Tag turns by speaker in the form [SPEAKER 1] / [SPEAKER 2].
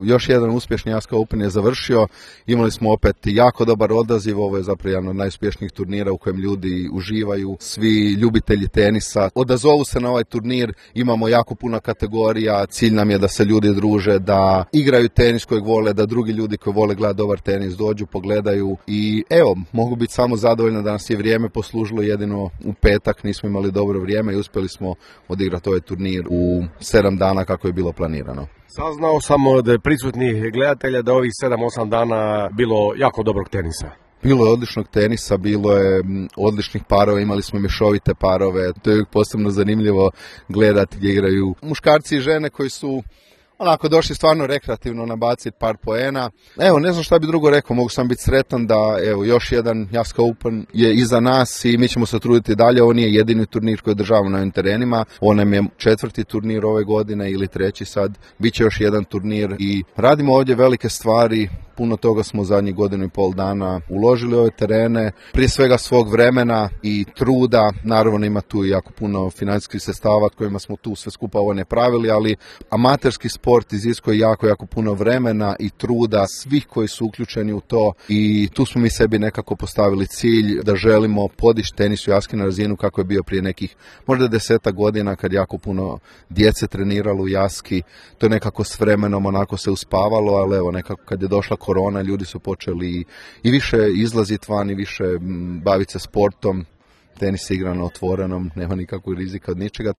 [SPEAKER 1] Još jedan uspješni Jaska Open je završio, imali smo opet jako dobar odaziv, ovo je zapravo jedan od najuspješnijih turnira u kojem ljudi uživaju, svi ljubitelji tenisa odazovu se na ovaj turnir, imamo jako puno kategorija, cilj nam je da se ljudi druže, da igraju tenis kojeg vole, da drugi ljudi koji vole gledati dobar tenis dođu, pogledaju i evo, mogu biti samo zadovoljni da nas je vrijeme poslužilo, jedino u petak nismo imali dobro vrijeme i uspjeli smo odigrati ovaj turnir u 7 dana kako je bilo planirano.
[SPEAKER 2] Saznao sam od prisutnih gledatelja da ovih 7-8 dana bilo jako dobrog tenisa.
[SPEAKER 1] Bilo je odličnog tenisa, bilo je odličnih parova, imali smo mješovite parove, to je uvijek posebno zanimljivo gledati gdje igraju muškarci i žene koji su onako došli stvarno rekreativno nabaciti par poena. Evo, ne znam šta bi drugo rekao, mogu sam biti sretan da evo, još jedan Jaska Open je iza nas i mi ćemo se truditi dalje. Ovo nije jedini turnir koji održavamo na ovim terenima, on nam je 4. turnir ove godine ili 3. sad, bit će još jedan turnir i radimo ovdje velike stvari. Puno toga smo zadnjih 1,5 dana uložili u ove terene, prije svega svog vremena i truda, naravno ima tu jako puno financijskih sredstava kojima smo tu sve skupa ovo ne pravili, ali amaterski sport iziskuje jako puno vremena i truda svih koji su uključeni u to i tu smo mi sebi nekako postavili cilj da želimo podići tenis u Jaski na razinu kako je bio prije nekih možda 10 godina kad jako puno djece treniralo u Jaski, to je nekako s vremenom onako se uspavalo, ali evo nekako kad je došla korona, ljudi su počeli i više izlaziti van i više baviti se sportom, tenis igra na otvorenom, nema nikakvog rizika od ničega.